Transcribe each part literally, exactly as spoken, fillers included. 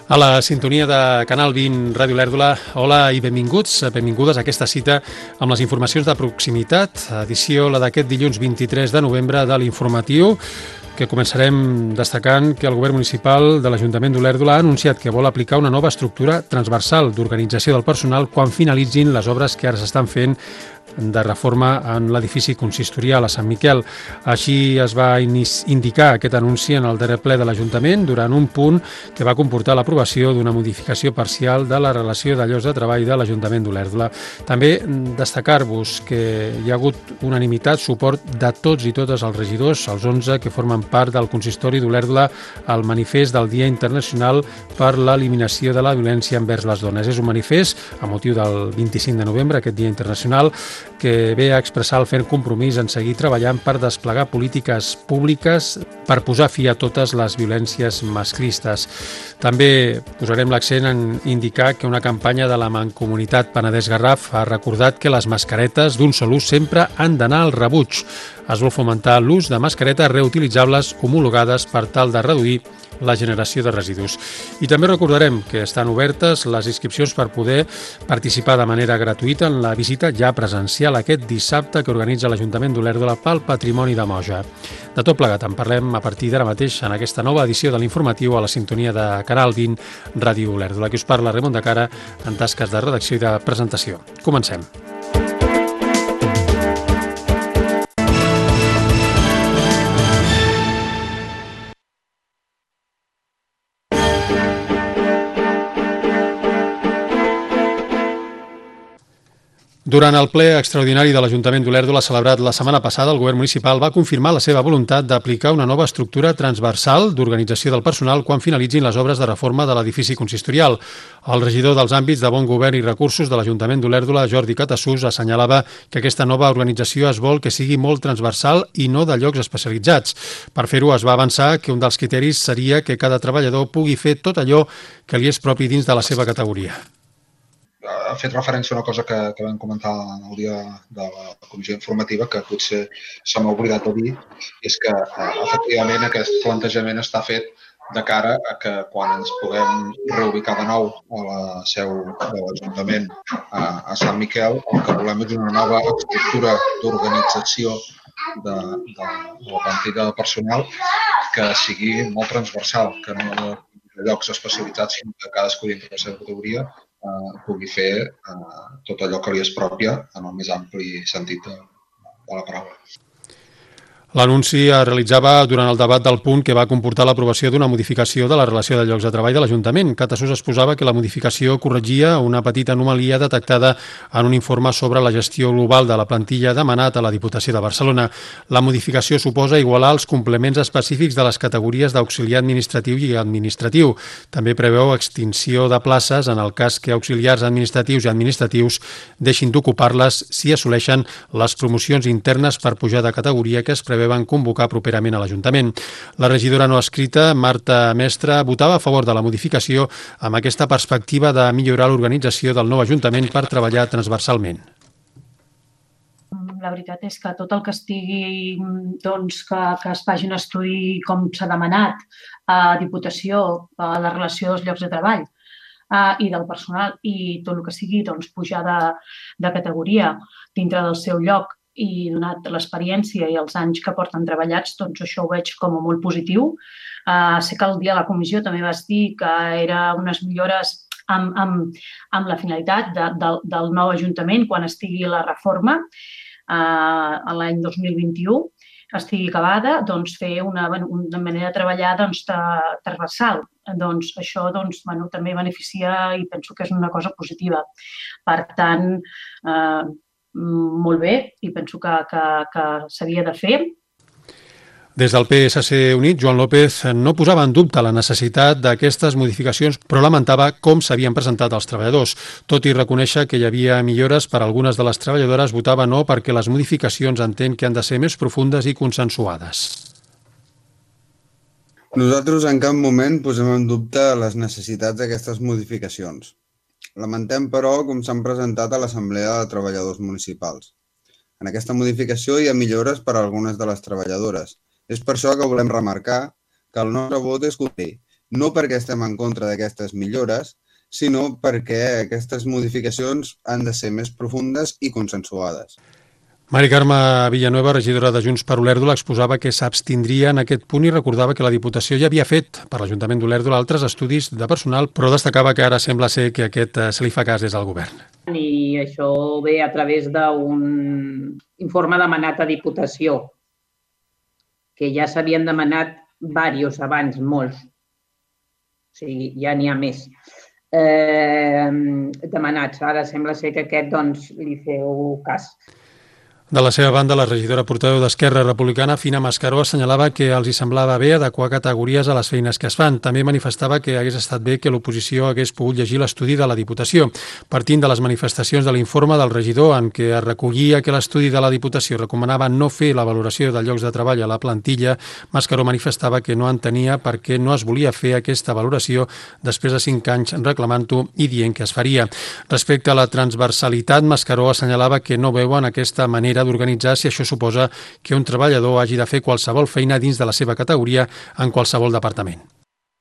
A la sintonia de Canal vint Ràdio Lèrdula, hola i benvinguts, benvingudes a aquesta cita amb les informacions de proximitat, edició la d'aquest dilluns vint-i-tres de novembre de l'informatiu, que començarem destacant que el govern municipal de l'Ajuntament d'Olèrdola ha anunciat que vol aplicar una nova estructura transversal d'organització del personal quan finalitzin les obres que ara s'estan fent de reforma en l'edifici consistorial a Sant Miquel. Així es va indicar aquest anunci en el darrer ple de l'Ajuntament durant un punt que va comportar l'aprovació d'una modificació parcial de la relació de llocs de treball de l'Ajuntament d'Olèrdola. També destacar-vos que hi ha hagut unanimitat, suport de tots i totes els regidors, els onze que formen part del consistori d'Olèrdola, al manifest del Dia Internacional per l'Eliminació de la Violència envers les Dones. És un manifest a motiu del vint-i-cinc de novembre, aquest Dia Internacional, que ve a expressar el ferm compromís en seguir treballant per desplegar polítiques públiques per posar fi a totes les violències masclistes. També posarem l'accent en indicar que una campanya de la Mancomunitat Penedès-Garraf ha recordat que les mascaretes d'un sol ús sempre han d'anar al rebuig. Es vol fomentar l'ús de mascaretes reutilitzables homologades per tal de reduir la generació de residus. I també recordarem que estan obertes les inscripcions per poder participar de manera gratuïta en la visita ja presencial aquest dissabte que organitza l'Ajuntament d'Olèrdola pel Patrimoni de Moja. De tot plegat en parlem a partir d'ara mateix en aquesta nova edició de l'informatiu a la sintonia de Canal vint Ràdio Olèrdola. Aquí us parla Ramon de Cara en tasques de redacció i de presentació. Comencem. Durant el ple extraordinari de l'Ajuntament d'Olèrdola celebrat la setmana passada, el govern municipal va confirmar la seva voluntat d'aplicar una nova estructura transversal d'organització del personal quan finalitzin les obres de reforma de l'edifici consistorial. El regidor dels àmbits de bon govern i recursos de l'Ajuntament d'Olèrdola, Jordi Catassús, assenyalava que aquesta nova organització es vol que sigui molt transversal i no de llocs especialitzats. Per fer-ho es va avançar que un dels criteris seria que cada treballador pugui fer tot allò que li és propi dins de la seva categoria. Ha fet referència a una cosa que, que vam comentar el dia de la comissió informativa que potser se m'ha oblidat de dir, és que eh, efectivament aquest plantejament està fet de cara a que quan ens puguem reubicar de nou a la seu de l'Ajuntament a, a Sant Miquel, el que volem és una nova estructura d'organització de, de, de la plantilla de personal que sigui molt transversal, que no de llocs especialitzats, sinó que cadascú dintre la seva categoria Uh, pugui fer uh, tot allò que li és pròpia en el més ampli sentit de, de la paraula. L'anunci es realitzava durant el debat del punt que va comportar l'aprovació d'una modificació de la relació de llocs de treball de l'Ajuntament. Catassús exposava que la modificació corregia una petita anomalia detectada en un informe sobre la gestió global de la plantilla demanat a la Diputació de Barcelona. La modificació suposa igualar els complements específics de les categories d'auxiliar administratiu i administratiu. També preveu extinció de places en el cas que auxiliars administratius i administratius deixin d'ocupar-les si assoleixen les promocions internes per pujar de categoria que es preveu van convocar properament a l'Ajuntament. La regidora no escrita, Marta Mestre, votava a favor de la modificació amb aquesta perspectiva de millorar l'organització del nou Ajuntament per treballar transversalment. La veritat és que tot el que estigui, doncs, que, que es faci un estudi com s'ha demanat a Diputació, a la relació dels llocs de treball uh, i del personal i tot el que sigui doncs, pujar de, de categoria dintre del seu lloc i donat l'experiència i els anys que porten treballats, doncs això ho veig com a molt positiu. Uh, sé que el dia de la comissió també vas dir que eren unes millores amb, amb, amb la finalitat de, de, del nou Ajuntament quan estigui la reforma uh, l'any dos mil vint-i-u, estigui acabada, doncs fer una, una manera de treballar doncs, de, transversal. Doncs això doncs, bueno, també beneficia i penso que és una cosa positiva. Per tant, eh, molt bé i penso que, que, que s'havia de fer. Des del P S C Unit, Joan López no posava en dubte la necessitat d'aquestes modificacions, però lamentava com s'havien presentat els treballadors. Tot i reconèixer que hi havia millores, per algunes de les treballadores votava no perquè les modificacions entén que han de ser més profundes i consensuades. Nosaltres en cap moment posem en dubte les necessitats d'aquestes modificacions. Lamentem, però, com s'han presentat a l'Assemblea de Treballadors Municipals. En aquesta modificació hi ha millores per a algunes de les treballadores. És per això que volem remarcar que el nostre vot és contrari no perquè estem en contra d'aquestes millores, sinó perquè aquestes modificacions han de ser més profundes i consensuades. Mari Carme Villanueva, regidora de Junts per Olèrdola, exposava que s'abstindria en aquest punt i recordava que la Diputació ja havia fet per l'Ajuntament d'Olèrdola altres estudis de personal, però destacava que ara sembla ser que aquest se li fa cas des del govern. I això ve a través d'un informe demanat a Diputació, que ja s'havien demanat diversos abans, molts. O sigui, ja n'hi ha més eh, demanats. Ara sembla ser que aquest doncs, li feu cas. De la seva banda, la regidora portaveu d'Esquerra Republicana, Fina Mascaró, assenyalava que els hi semblava bé adequar categories a les feines que es fan. També manifestava que hagués estat bé que l'oposició hagués pogut llegir l'estudi de la Diputació. Partint de les manifestacions de l'informe del regidor en què es recollia que l'estudi de la Diputació recomanava no fer la valoració de llocs de treball a la plantilla, Mascaró manifestava que no entenia per què no es volia fer aquesta valoració després de cinc anys reclamant-ho i dient que es faria. Respecte a la transversalitat, Mascaró assenyalava que no veuen aquesta manera d'organitzar si això suposa que un treballador hagi de fer qualsevol feina dins de la seva categoria en qualsevol departament.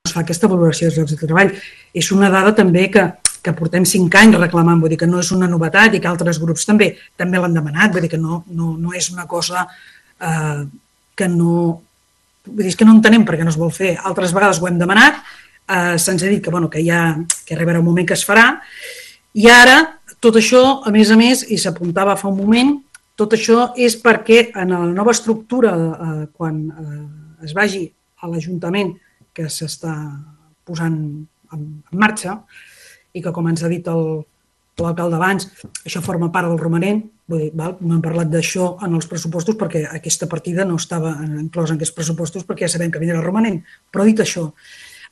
Es fa aquesta valoració dels llocs de treball. És una dada també que, que portem cinc anys reclamant, vull dir que no és una novetat i que altres grups també també l'han demanat, vull dir que no, no, no és una cosa eh, que no... Vull dir, és que no entenem per què no es vol fer. Altres vegades ho hem demanat, eh, se'ns ha dit que, bueno, que, ja, que arribarà un moment que es farà, i ara tot això, a més a més, i s'apuntava fa un moment, tot això és perquè en la nova estructura, eh, quan eh, es vagi a l'Ajuntament que s'està posant en, en marxa i que, com ens ha dit l'alcalde abans, això forma part del romanent, vull dir, val? No hem parlat d'això en els pressupostos perquè aquesta partida no estava inclosa en aquests pressupostos perquè ja sabem que vindrà el romanent. Però dit això,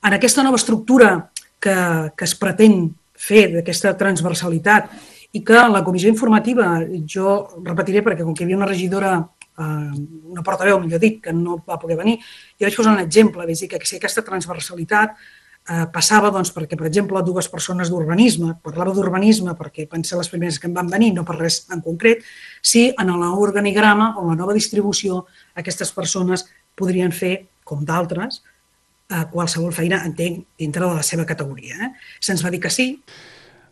en aquesta nova estructura que, que es pretén fer d'aquesta transversalitat i que la comissió informativa, jo repetiré perquè com que hi havia una regidora, eh, una portaveu, millor dit, que no va poder venir, jo vaig posar un exemple, vaig dir que si aquesta transversalitat eh, passava doncs, perquè, per exemple, dues persones d'urbanisme, parlava d'urbanisme perquè van ser les primeres que em van venir, no per res en concret, si en l'organigrama o la nova distribució aquestes persones podrien fer, com d'altres, eh, qualsevol feina, entenc, dintre de la seva categoria. Eh? Se'ns va dir que sí.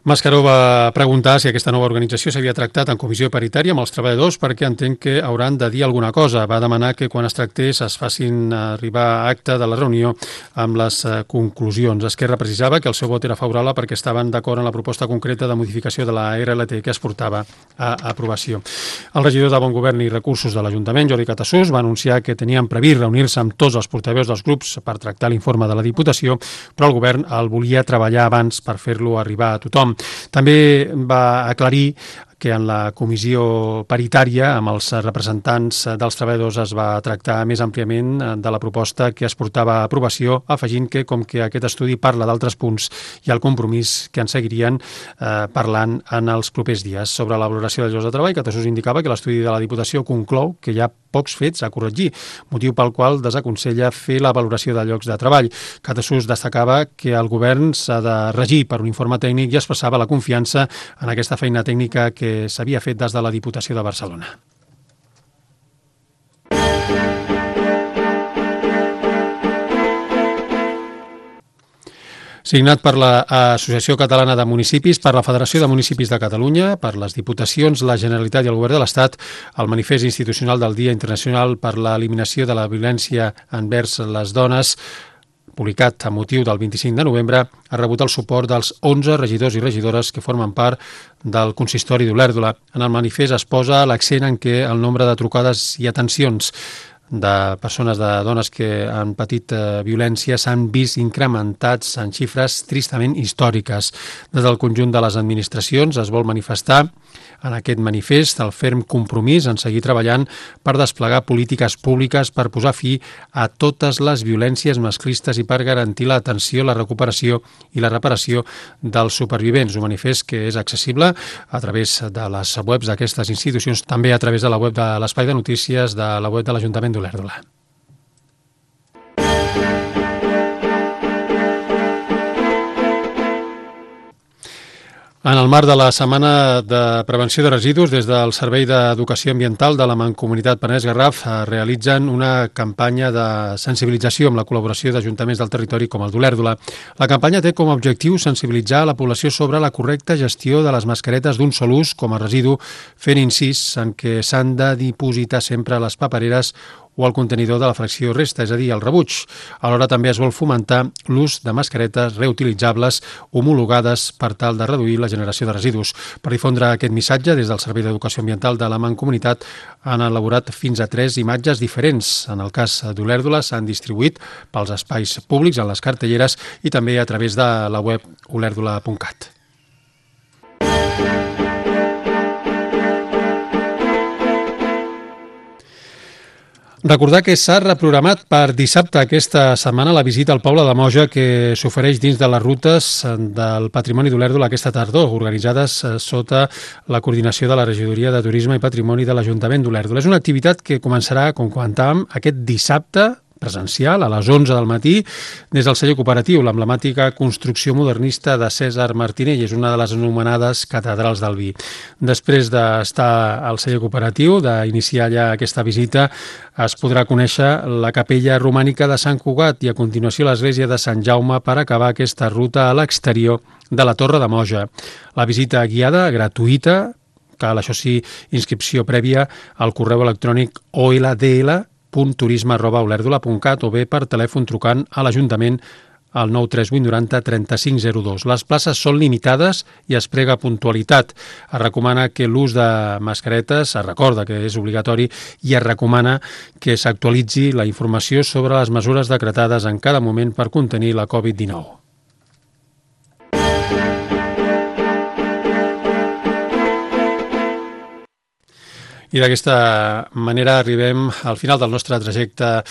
Mascaró va preguntar si aquesta nova organització s'havia tractat en comissió paritària amb els treballadors perquè entenc que hauran de dir alguna cosa. Va demanar que quan es tractés es facin arribar a acte de la reunió amb les conclusions. Esquerra precisava que el seu vot era favorable perquè estaven d'acord en la proposta concreta de modificació de la R L T que es portava a aprovació. El regidor de Bon Govern i Recursos de l'Ajuntament, Jordi Catassús, va anunciar que tenien previst reunir-se amb tots els portaveus dels grups per tractar l'informe de la Diputació, però el govern el volia treballar abans per fer-lo arribar a tothom. També va aclarir que en la comissió paritària amb els representants dels treballadors es va tractar més àmpliament de la proposta que es portava a aprovació, afegint que, com que aquest estudi parla d'altres punts i el compromís que en seguirien eh, parlant en els propers dies. Sobre la valoració dels llocs de treball, Catassús indicava que l'estudi de la Diputació conclou que hi ha pocs fets a corregir, motiu pel qual desaconsella fer la valoració de llocs de treball. Catassús destacava que el govern s'ha de regir per un informe tècnic i expressava la confiança en aquesta feina tècnica que s'havia fet des de la Diputació de Barcelona. Signat per l'Associació Catalana de Municipis, per la Federació de Municipis de Catalunya, per les Diputacions, la Generalitat i el Govern de l'Estat, el manifest institucional del Dia Internacional per l'Eliminació de la Violència envers les dones, publicat a motiu del vint-i-cinc de novembre, ha rebut el suport dels onze regidors i regidores que formen part del consistori d'Olèrdola. En el manifest es posa l'accent en què el nombre de trucades i atencions de persones, de dones que han patit eh, violència s'han vist incrementats en xifres tristament històriques. Des del conjunt de les administracions es vol manifestar en aquest manifest el ferm compromís en seguir treballant per desplegar polítiques públiques per posar fi a totes les violències masclistes i per garantir l'atenció, la recuperació i la reparació dels supervivents. Un manifest que és accessible a través de les webs d'aquestes institucions, també a través de la web de l'Espai de Notícies de la web de l'Ajuntament d'Olèrdola. En el marc de la Setmana de Prevenció de Residus, des del Servei d'Educació Ambiental de la Mancomunitat Penedès-Garraf realitzen una campanya de sensibilització amb la col·laboració d'ajuntaments del territori com el d'Olèrdola. La campanya té com a objectiu sensibilitzar la població sobre la correcta gestió de les mascaretes d'un sol ús com a residu, fent incís en què s'han de dipositar sempre a les papereres o al contenidor de la fracció resta, és a dir, el rebuig. Alhora també es vol fomentar l'ús de mascaretes reutilitzables homologades per tal de reduir la generació de residus. Per difondre aquest missatge, des del Servei d'Educació Ambiental de la Mancomunitat han elaborat fins a tres imatges diferents. En el cas d'Olèrdola s'han distribuït pels espais públics, en les cartelleres i també a través de la web olèrdola punt cat. Recordar que s'ha reprogramat per dissabte aquesta setmana la visita al poble de Moja que s'ofereix dins de les rutes del Patrimoni d'Olèrdola aquesta tardor, organitzades sota la coordinació de la Regidoria de Turisme i Patrimoni de l'Ajuntament d'Olèrdola. És una activitat que començarà, com comentàvem, aquest dissabte presencial a les onze del matí des del celler cooperatiu, l'emblemàtica construcció modernista de Cèsar Martinell, és una de les anomenades catedrals del vi. Després d'estar al celler cooperatiu, d'iniciar ja aquesta visita, es podrà conèixer la capella romànica de Sant Cugat i a continuació l'església de Sant Jaume per acabar aquesta ruta a l'exterior de la Torre de Moja. La visita guiada, gratuïta, cal, això sí, inscripció prèvia al correu electrònic o l d l punt turisme arroba olèrdola punt cat o bé per telèfon trucant a l'Ajuntament al nou tres vuit nou zero tres cinc zero dos. Les places són limitades i es prega puntualitat. Es recomana que l'ús de mascaretes, es recorda que és obligatori i es recomana que s'actualitzi la informació sobre les mesures decretades en cada moment per contenir la covid dinou. I d'aquesta manera arribem al final del nostre trajecte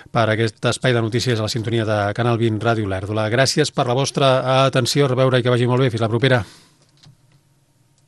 per aquest espai de notícies a la sintonia de Canal vint Ràdio Olèrdola. Gràcies per la vostra atenció, a reveure i que vagi molt bé. Fins la propera.